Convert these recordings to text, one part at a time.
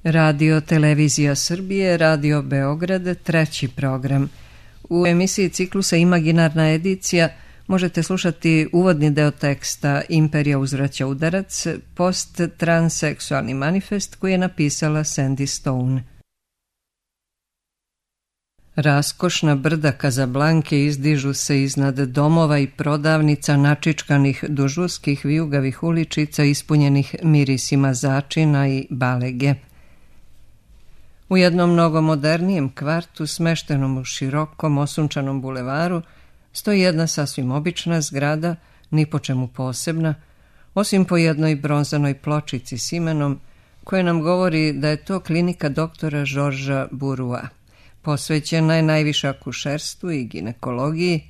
Radio Televizija Srbije, Radio Beograd, treći program. U emisiji ciklusa Imaginarna edicija možete slušati uvodni deo teksta Imperija uzvraća udarac, post-transseksualni manifest koji je napisala Sandy Stone. Raskošna brda Kazablanke izdižu se iznad domova i prodavnica načičkanih duž uskih vijugavih uličica ispunjenih mirisima začina i balege. U jednom mnogo modernijem kvartu, smeštenom u širokom osunčanom bulevaru, stoji jedna sasvim obična zgrada, ni po čemu posebna, osim po jednoj bronzanoj pločici s imenom, koja nam govori da je to klinika doktora Žorža Burua. Posvećena je najviše akušerstvu i ginekologiji,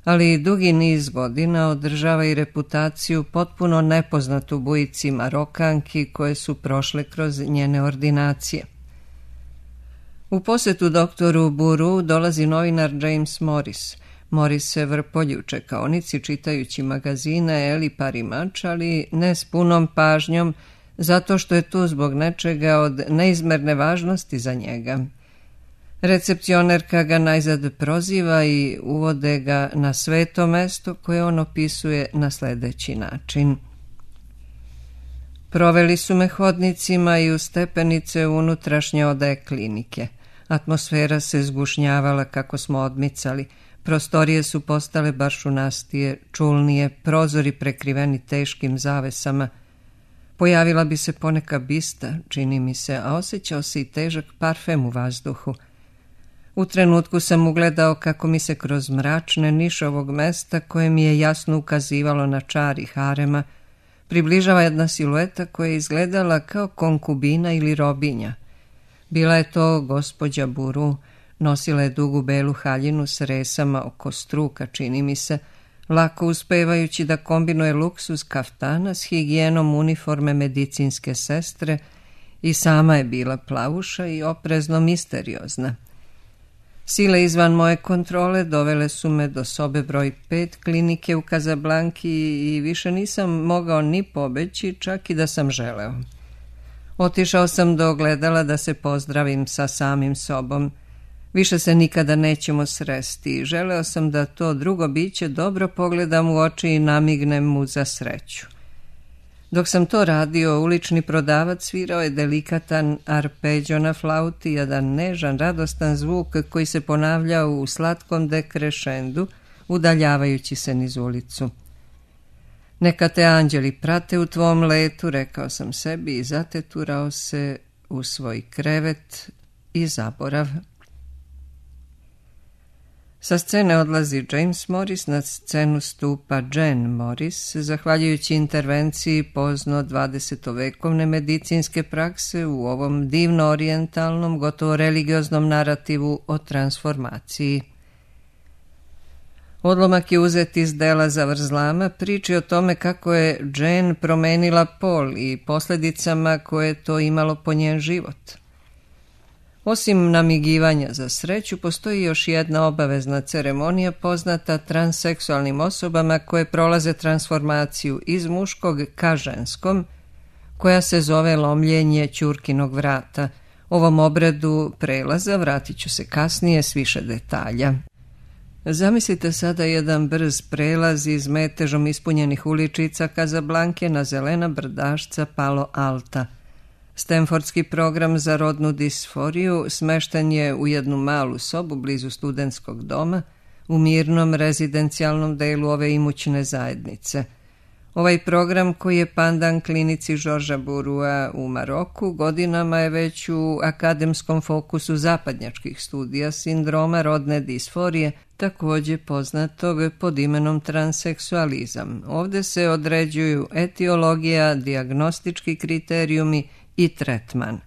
ali dugi niz godina održava i reputaciju potpuno nepoznatu bujici Marokanki koje su prošle kroz njene ordinacije. U posetu doktoru Buru dolazi novinar James Morris. Morris se vrpolji u čekaonici čitajući magazine Eli Parimač, ali ne s punom pažnjom, zato što je tu zbog nečega od neizmerne važnosti za njega. Recepcionerka ga najzad proziva i uvode ga na sveto mesto koje on opisuje na sledeći način. Proveli su me hodnicima i u stepenice unutrašnje odaje klinike. Atmosfera se zgušnjavala kako smo odmicali. Prostorije su postale baršunastije, čulnije, prozori prekriveni teškim zavesama. Pojavila bi se poneka bista, čini mi se, a osjećao se i težak parfem u vazduhu. U trenutku sam ugledao kako mi se kroz mračne niše ovog mesta, koje mi je jasno ukazivalo na čar i harema, približava jedna silueta koja je izgledala kao konkubina ili robinja. Bila je to gospođa Buru, nosila je dugu belu haljinu s resama oko struka, čini mi se, lako uspevajući da kombinuje luksuz kaftana s higijenom uniforme medicinske sestre i sama je bila plavuša i oprezno misteriozna. Sile izvan moje kontrole dovele su me do sobe broj 5 klinike u Kazablanki i više nisam mogao ni pobeći, čak i da sam želeo. Otišao sam do ogledala da se pozdravim sa samim sobom. Više se nikada nećemo sresti. Želeo sam da to drugo biće dobro pogledam u oči i namignem mu za sreću. Dok sam to radio, ulični prodavac svirao je delikatan arpeđo na flauti, jedan nežan, radostan zvuk koji se ponavljao u slatkom dekrešendu, udaljavajući se niz ulicu. Neka te anđeli prate u tvom letu, rekao sam sebi i zateturao se u svoj krevet i zaborav. Sa scene odlazi James Morris, na scenu stupa Jane Morris, zahvaljujući intervenciji pozno 20-vekovne medicinske prakse u ovom divno orijentalnom, gotovo religioznom narativu o transformaciji. Odlomak je uzet iz dela Zavrzlama, priči o tome kako je Jane promenila pol i posljedicama koje je to imalo po njen život. Osim namigivanja za sreću, postoji još jedna obavezna ceremonija poznata transseksualnim osobama koje prolaze transformaciju iz muškog ka ženskom, koja se zove lomljenje ćurkinog vrata. Ovom obredu prelaza vratit ću se kasnije s više detalja. Zamislite sada jedan brz prelaz iz metežom ispunjenih uličica Kazablanke na zelena brdašca Palo Alta. Stanfordski program za rodnu disforiju smešten je u jednu malu sobu blizu studentskog doma u mirnom rezidencijalnom delu ove imućne zajednice. Ovaj program, koji je pandan klinici Žorža Burua u Maroku, godinama je već u akademskom fokusu zapadnjačkih studija sindroma rodne disforije, također poznatog pod imenom transseksualizam. Ovdje se određuju etiologija, dijagnostički kriterijumi i tretman.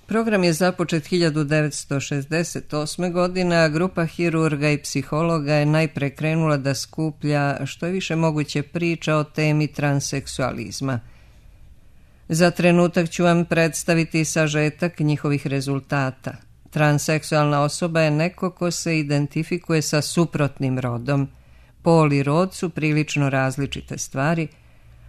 Program je započet 1968. godine, a grupa hirurga i psihologa je najpre krenula da skuplja što je više moguće priča o temi transseksualizma. Za trenutak ću vam predstaviti sažetak njihovih rezultata. Transseksualna osoba je neko ko se identifikuje sa suprotnim rodom. Pol i rod su prilično različite stvari,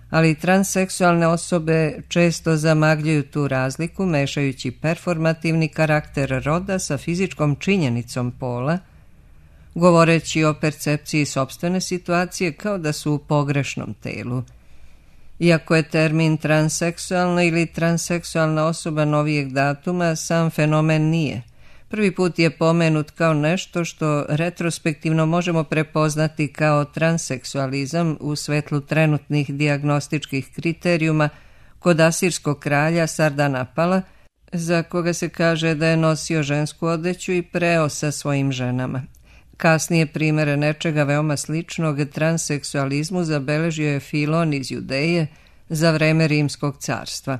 ali transseksualne osobe često zamagljuju tu razliku mešajući performativni karakter roda sa fizičkom činjenicom pola, govoreći o percepciji sopstvene situacije kao da su u pogrešnom telu. Iako je termin transseksualna ili transseksualna osoba novijeg datuma, sam fenomen nije. Prvi put je pomenut kao nešto što retrospektivno možemo prepoznati kao transseksualizam u svetlu trenutnih dijagnostičkih kriterijuma kod asirskog kralja Sardanapala, za koga se kaže da je nosio žensku odeću i preo sa svojim ženama. Kasnije primere nečega veoma sličnog transseksualizmu zabeležio je Filon iz Judeje za vreme Rimskog carstva.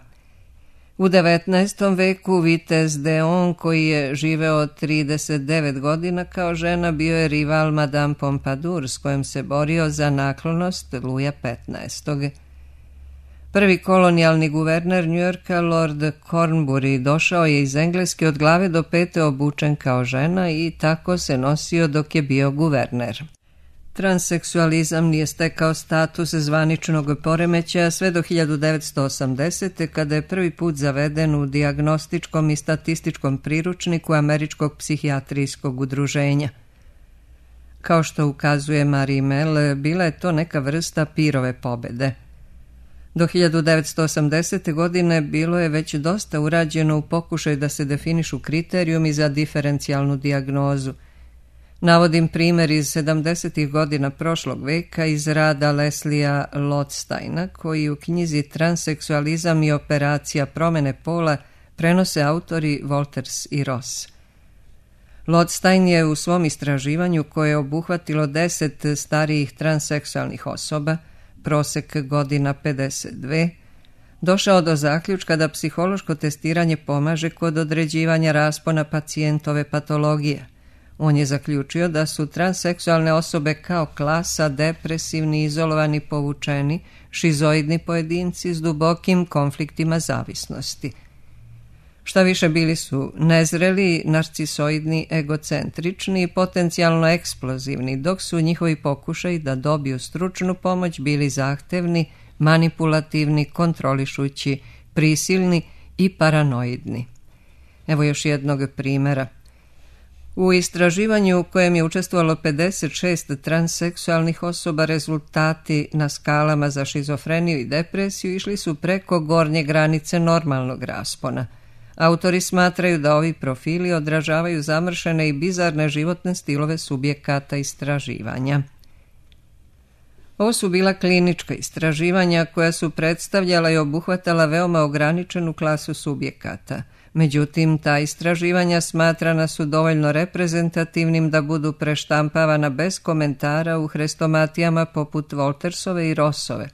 U 19. veku vitez Deon, koji je živeo 39 godina kao žena, bio je rival Madame Pompadour s kojom se borio za naklonost Luja XV. Prvi kolonijalni guverner Njujorka, Lord Cornbury, došao je iz Engleske od glave do pete obučen kao žena i tako se nosio dok je bio guverner. Transseksualizam nije stekao status zvaničnog poremećaja sve do 1980. kada je prvi put zaveden u dijagnostičkom i statističkom priručniku Američkog psihijatrijskog udruženja. Kao što ukazuje Marie Mel, bila je to neka vrsta pirove pobede. Do 1980. godine bilo je već dosta urađeno u pokušaju da se definišu kriterijumi za diferencijalnu dijagnozu. Navodim primjer iz 70. godina prošlog veka iz rada Leslia Lotsteina, koji u knjizi Transseksualizam i operacija promjene pola prenose autori Wolters i Ross. Lotstein je u svom istraživanju, koje je obuhvatilo 10 starijih transseksualnih osoba, prosek godina 52, došao do zaključka da psihološko testiranje pomaže kod određivanja raspona pacijentove patologije. On je zaključio da su transseksualne osobe kao klasa depresivni, izolovani, povučeni, šizoidni pojedinci s dubokim konfliktima zavisnosti. Šta više, bili su nezreli, narcisoidni, egocentrični i potencijalno eksplozivni, dok su njihovi pokušaji da dobiju stručnu pomoć bili zahtevni, manipulativni, kontrolišući, prisilni i paranoidni. Evo još jednog primjera. U istraživanju u kojem je učestvovalo 56 transseksualnih osoba, rezultati na skalama za šizofreniju i depresiju išli su preko gornje granice normalnog raspona. Autori smatraju da ovi profili odražavaju zamršene i bizarne životne stilove subjekata istraživanja. Ovo su bila klinička istraživanja koja su predstavljala i obuhvatala veoma ograničenu klasu subjekata. Međutim, ta istraživanja smatrana su dovoljno reprezentativnim da budu preštampavana bez komentara u hrestomatijama poput Woltersove i Rossove.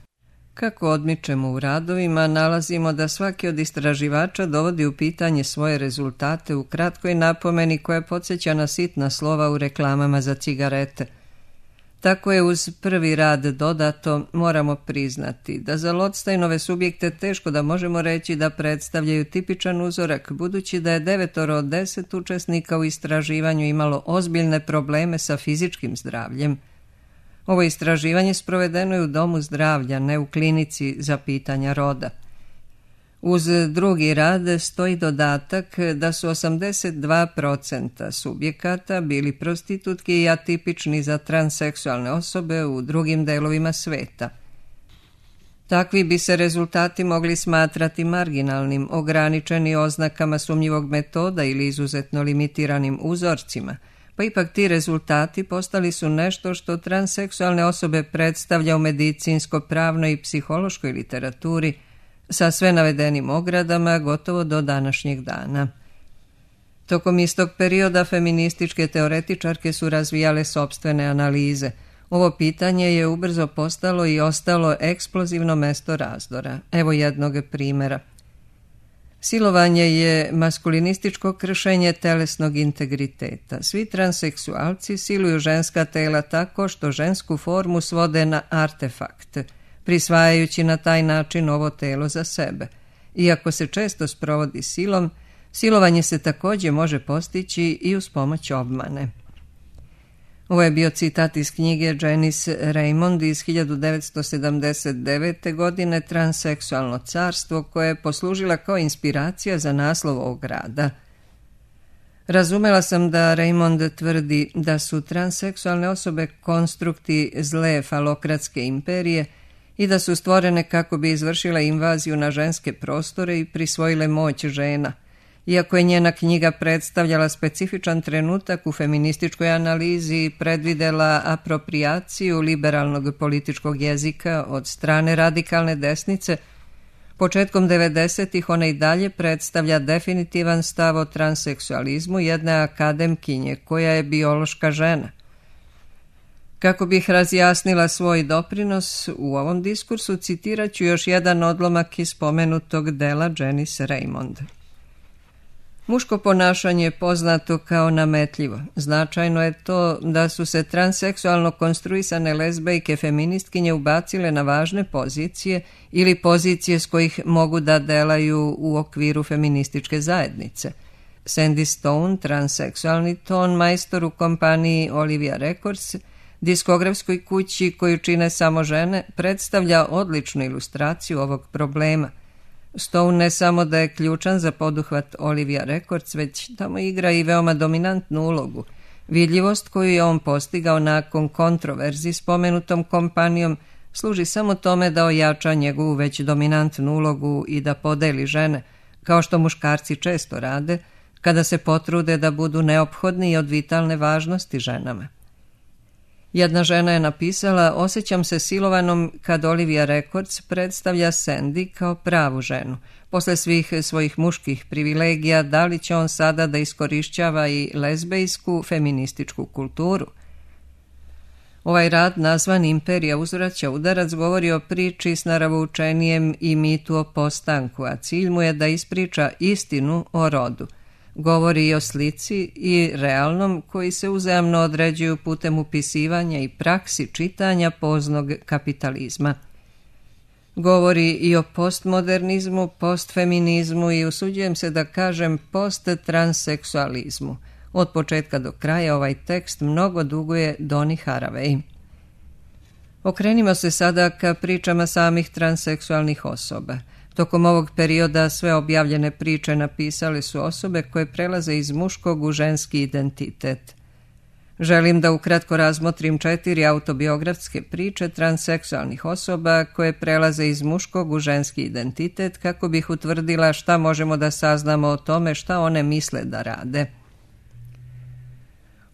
Kako odmičemo u radovima, nalazimo da svaki od istraživača dovodi u pitanje svoje rezultate u kratkoj napomeni koja podsjeća na sitna slova u reklamama za cigarete. Tako je uz prvi rad dodato, moramo priznati da za Lotsteinove subjekte teško da možemo reći da predstavljaju tipičan uzorak, budući da je 9 od 10 učesnika u istraživanju imalo ozbiljne probleme sa fizičkim zdravljem. Ovo istraživanje sprovedeno je u domu zdravlja, ne u klinici za pitanja roda. Uz drugi rad stoji dodatak da su 82% subjekata bili prostitutki i atipični za transseksualne osobe u drugim delovima sveta. Takvi bi se rezultati mogli smatrati marginalnim, ograničeni oznakama sumnjivog metoda ili izuzetno limitiranim uzorcima, pa ipak ti rezultati postali su nešto što transseksualne osobe predstavlja u medicinsko-pravnoj i psihološkoj literaturi sa sve navedenim ogradama gotovo do današnjeg dana. Tokom istog perioda feminističke teoretičarke su razvijale sopstvene analize. Ovo pitanje je ubrzo postalo i ostalo eksplozivno mesto razdora. Evo jednog primjera. Silovanje je maskulinističko kršenje telesnog integriteta. Svi transseksualci siluju ženska tela tako što žensku formu svode na artefakt, prisvajajući na taj način ovo telo za sebe. Iako se često sprovodi silom, silovanje se također može postići i uz pomoć obmane. Ovo je bio citat iz knjige Janice Raymond iz 1979. godine Transseksualno carstvo, koje je poslužila kao inspiracija za naslov ovog rada. Razumela sam da Raymond tvrdi da su transseksualne osobe konstrukti zle falokratske imperije i da su stvorene kako bi izvršile invaziju na ženske prostore i prisvojile moć žena. Iako je njena knjiga predstavljala specifičan trenutak u feminističkoj analizi i predvidela aproprijaciju liberalnog političkog jezika od strane radikalne desnice, početkom 90-ih ona i dalje predstavlja definitivan stav o transseksualizmu jedne akademkinje koja je biološka žena. Kako bih razjasnila svoj doprinos u ovom diskursu, citirat ću još jedan odlomak iz spomenutog dela Janice Raymond. Muško ponašanje je poznato kao nametljivo. Značajno je to da su se transseksualno konstruisane lezbejke feministkinje ubacile na važne pozicije ili pozicije s kojih mogu da delaju u okviru feminističke zajednice. Sandy Stone, transseksualni ton majstor u kompaniji Olivia Records, diskografskoj kući koju čine samo žene, predstavlja odličnu ilustraciju ovog problema. Stone ne samo da je ključan za poduhvat Olivia Records, već tamo igra i veoma dominantnu ulogu. Vidljivost koju je on postigao nakon kontroverzi s pomenutom kompanijom služi samo tome da ojača njegovu već dominantnu ulogu i da podeli žene, kao što muškarci često rade, kada se potrude da budu neophodni i od vitalne važnosti ženama. Jedna žena je napisala: osjećam se silovanom kad Olivia Records predstavlja Sandy kao pravu ženu. Posle svih svojih muških privilegija, da li će on sada da iskorišćava i lezbejsku feminističku kulturu? Ovaj rad, nazvan Imperija uzvraća udarac, govori o priči s naravoučenijem i mitu o postanku, a cilj mu je da ispriča istinu o rodu. Govori i o slici i realnom koji se uzajamno određuju putem upisivanja i praksi čitanja poznog kapitalizma. Govori i o postmodernizmu, postfeminizmu i usuđujem se da kažem posttranseksualizmu. Od početka do kraja ovaj tekst mnogo duguje Doni Haraway. Okrenimo se sada ka pričama samih transseksualnih osoba. Tokom ovog perioda sve objavljene priče napisale su osobe koje prelaze iz muškog u ženski identitet. Želim da ukratko razmotrim 4 autobiografske priče transseksualnih osoba koje prelaze iz muškog u ženski identitet kako bih utvrdila šta možemo da saznamo o tome šta one misle da rade.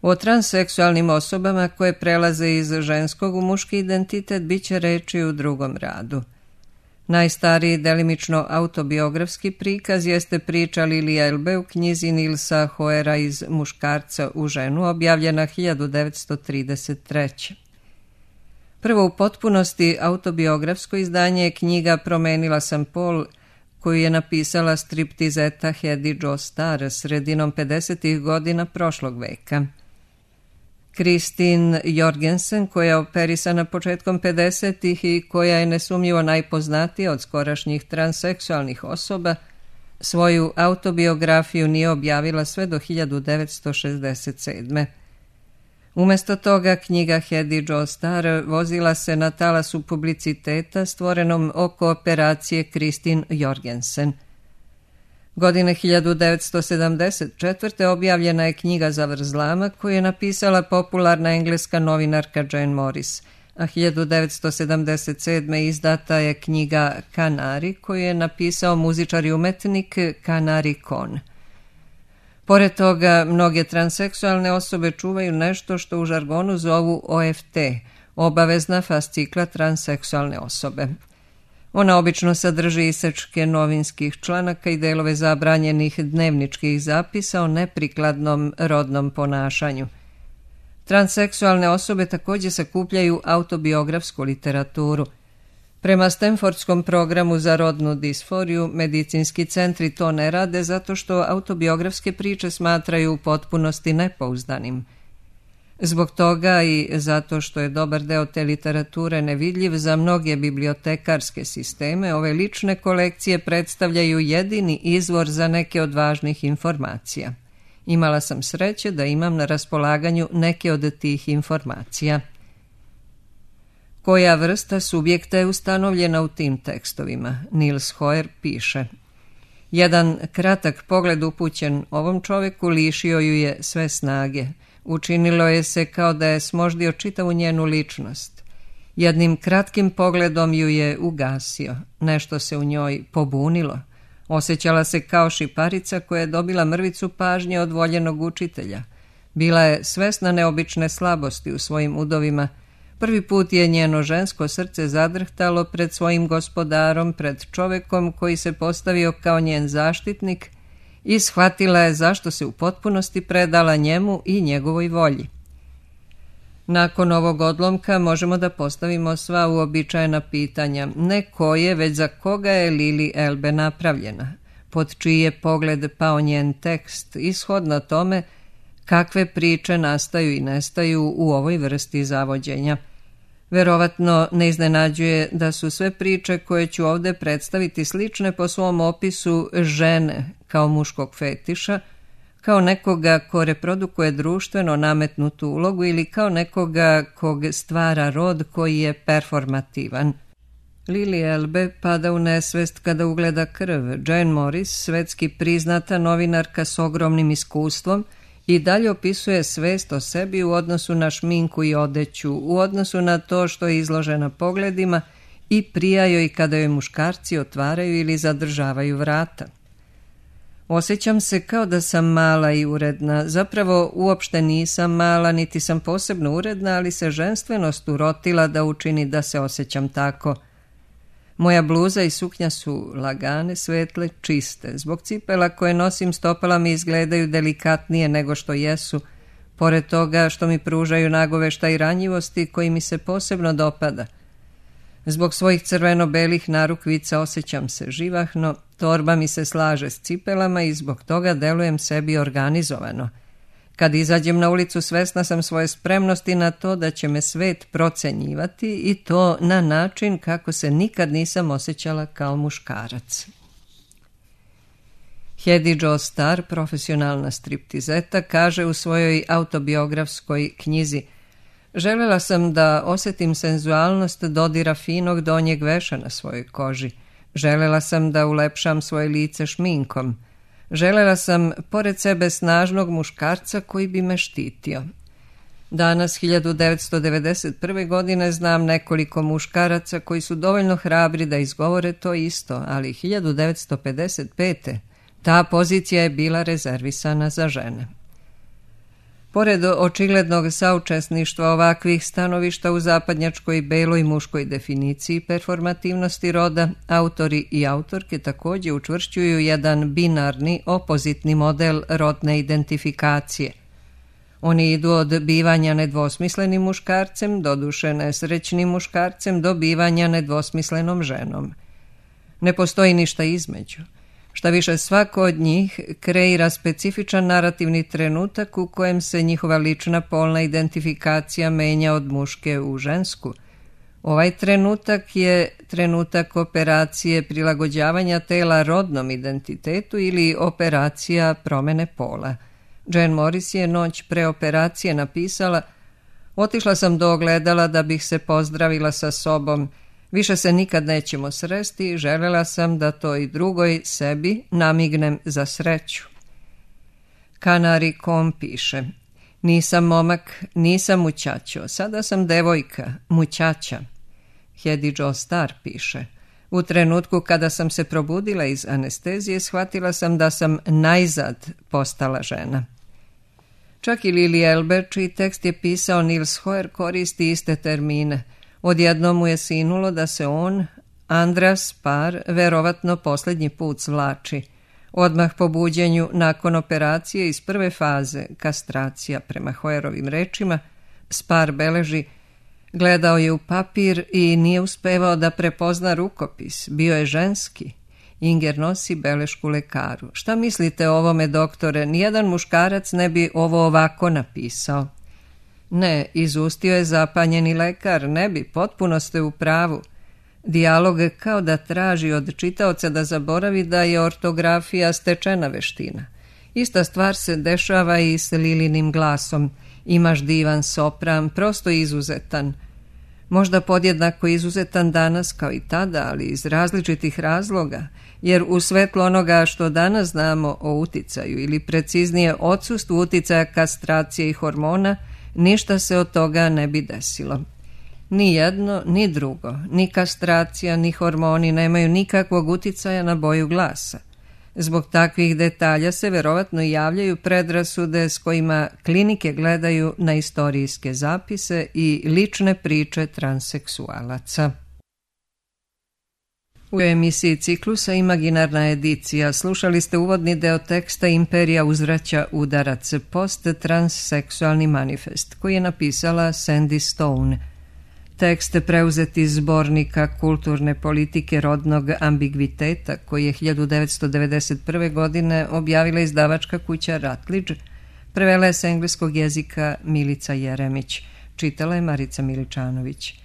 O transseksualnim osobama koje prelaze iz ženskog u muški identitet bit će reči u drugom radu. Najstariji delimično autobiografski prikaz jeste priča Lilie Elbe u knjizi Nilsa Hoera Iz muškarca u ženu, objavljena 1933. Prvo u potpunosti autobiografsko izdanje je knjiga Promenila sam pol, koju je napisala striptizeta Hedy Jo Star sredinom 50. godina prošlog veka. Kristin Jorgensen, koja je operisana početkom 50. i koja je nesumnjivo najpoznatija od skorašnjih transseksualnih osoba, svoju autobiografiju nije objavila sve do 1967. Umesto toga, knjiga Hedy Jo Star vozila se na talasu publiciteta stvorenom oko operacije Kristin Jorgensen. Godine 1974. objavljena je knjiga Zavrzlama koju je napisala popularna engleska novinarka Jane Morris, a 1977. izdata je knjiga Kanari koju je napisao muzičar i umetnik Kanari Kon. Pored toga, mnoge transseksualne osobe čuvaju nešto što u žargonu zovu OFT, obavezna fascikla transseksualne osobe. Ona obično sadrži isečke novinskih članaka i delove zabranjenih dnevničkih zapisa o neprikladnom rodnom ponašanju. Transseksualne osobe također sakupljaju autobiografsku literaturu. Prema Stanfordskom programu za rodnu disforiju, medicinski centri to ne rade zato što autobiografske priče smatraju u potpunosti nepouzdanim. Zbog toga i zato što je dobar deo te literature nevidljiv za mnoge bibliotekarske sisteme, ove lične kolekcije predstavljaju jedini izvor za neke od važnih informacija. Imala sam sreće da imam na raspolaganju neke od tih informacija. Koja vrsta subjekta je ustanovljena u tim tekstovima? Niels Hoer piše: jedan kratak pogled upućen ovom čovjeku lišio ju je sve snage. Učinilo je se kao da je smoždio čitavu njenu ličnost. Jednim kratkim pogledom ju je ugasio. Nešto se u njoj pobunilo. Osjećala se kao šiparica koja je dobila mrvicu pažnje od voljenog učitelja. Bila je svesna neobične slabosti u svojim udovima. Prvi put je njeno žensko srce zadrhtalo pred svojim gospodarom, pred čovjekom koji se postavio kao njen zaštitnik i shvatila je zašto se u potpunosti predala njemu i njegovoj volji. Nakon ovog odlomka možemo da postavimo sva uobičajena pitanja, ne koje, već za koga je Lili Elbe napravljena, pod čiji je pogled pao njen tekst, ishodno tome kakve priče nastaju i nestaju u ovoj vrsti zavođenja. Verovatno ne iznenađuje da su sve priče koje ću ovdje predstaviti slične po svom opisu žene kao muškog fetiša, kao nekoga ko reprodukuje društveno nametnutu ulogu ili kao nekoga kog stvara rod koji je performativan. Lili Elbe pada u nesvest kada ugleda krv. Jane Morris, svetski priznata novinarka s ogromnim iskustvom, i dalje opisuje svest o sebi u odnosu na šminku i odeću, u odnosu na to što je izložena pogledima i prija joj kada joj muškarci otvaraju ili zadržavaju vrata. Osjećam se kao da sam mala i uredna. Zapravo uopšte nisam mala, niti sam posebno uredna, ali se ženstvenost urotila da učini da se osjećam tako. Moja bluza i suknja su lagane, svetle, čiste. Zbog cipela koje nosim stopala mi izgledaju delikatnije nego što jesu, pored toga što mi pružaju nagoveštaj ranjivosti koji mi se posebno dopada. Zbog svojih crveno-belih narukvica osjećam se živahno, torba mi se slaže s cipelama i zbog toga delujem sebi organizovano. Kad izađem na ulicu svesna sam svoje spremnosti na to da će me svet procenjivati i to na način kako se nikad nisam osjećala kao muškarac. Hedy Jo Star, profesionalna striptizeta, kaže u svojoj autobiografskoj knjizi: željela sam da osjetim senzualnost dodira finog donjeg veša na svojoj koži. Željela sam da ulepšam svoje lice šminkom. Željela sam pored sebe snažnog muškarca koji bi me štitio. Danas, 1991. godine, znam nekoliko muškaraca koji su dovoljno hrabri da izgovore to isto, ali 1955. ta pozicija je bila rezervisana za žene. Pored očiglednog saučesništva ovakvih stanovišta u zapadnjačkoj beloj muškoj definiciji performativnosti roda, autori i autorke također učvršćuju jedan binarni, opozitni model rodne identifikacije. Oni idu od bivanja nedvosmislenim muškarcem, doduše nesrećnim muškarcem, do bivanja nedvosmislenom ženom. Ne postoji ništa između. Šta više, svako od njih kreira specifičan narativni trenutak u kojem se njihova lična polna identifikacija menja od muške u žensku. Ovaj trenutak je trenutak operacije prilagođavanja tela rodnom identitetu ili operacija promene pola. Jane Morris je noć pre operacije napisala: otišla sam do ogledala da bih se pozdravila sa sobom. Više se nikad nećemo sresti, željela sam da to i drugoj sebi namignem za sreću. Kanari Kom piše: nisam momak, nisam mućačo, sada sam devojka, mućača. Hedy Jo Star piše: u trenutku kada sam se probudila iz anestezije, shvatila sam da sam najzad postala žena. Čak i Lili Elbe, čiji tekst je pisao Niels Hoer, koristi iste termine. Odjednom mu je sinulo da se on, Andreas Spar, verovatno posljednji put svlači. Odmah po buđenju nakon operacije iz prve faze, kastracija prema Hoerovim rečima, Spar beleži: gledao je u papir i nije uspevao da prepozna rukopis, bio je ženski. Inger nosi belešku lekaru: šta mislite o ovome, doktore, nijedan muškarac ne bi ovo ovako napisao. Ne, izustio je zapanjeni lekar, ne bi, potpuno ste u pravu. Dijalog kao da traži od čitaoca da zaboravi da je ortografija stečena veština. Ista stvar se dešava i s Lilinim glasom. Imaš divan sopran, prosto izuzetan. Možda podjednako izuzetan danas kao i tada, ali iz različitih razloga, jer u svetlu onoga što danas znamo o uticaju ili preciznije odsustvu uticaja kastracije i hormona, ništa se od toga ne bi desilo. Ni jedno, ni drugo, ni kastracija, ni hormoni nemaju nikakvog uticaja na boju glasa. Zbog takvih detalja se verovatno javljaju predrasude s kojima klinike gledaju na istorijske zapise i lične priče transseksualaca. U emisiji Ciklusa Imaginarna edicija slušali ste uvodni deo teksta Imperija uzvraća udarac, post-transseksualni manifest, koji je napisala Sandy Stone. Tekst preuzet iz zbornika kulturne politike rodnog ambigviteta, koji je 1991. godine objavila izdavačka kuća Ratliđ, prevela je s engleskog jezika Milica Jeremić, čitala je Marica Miličanović.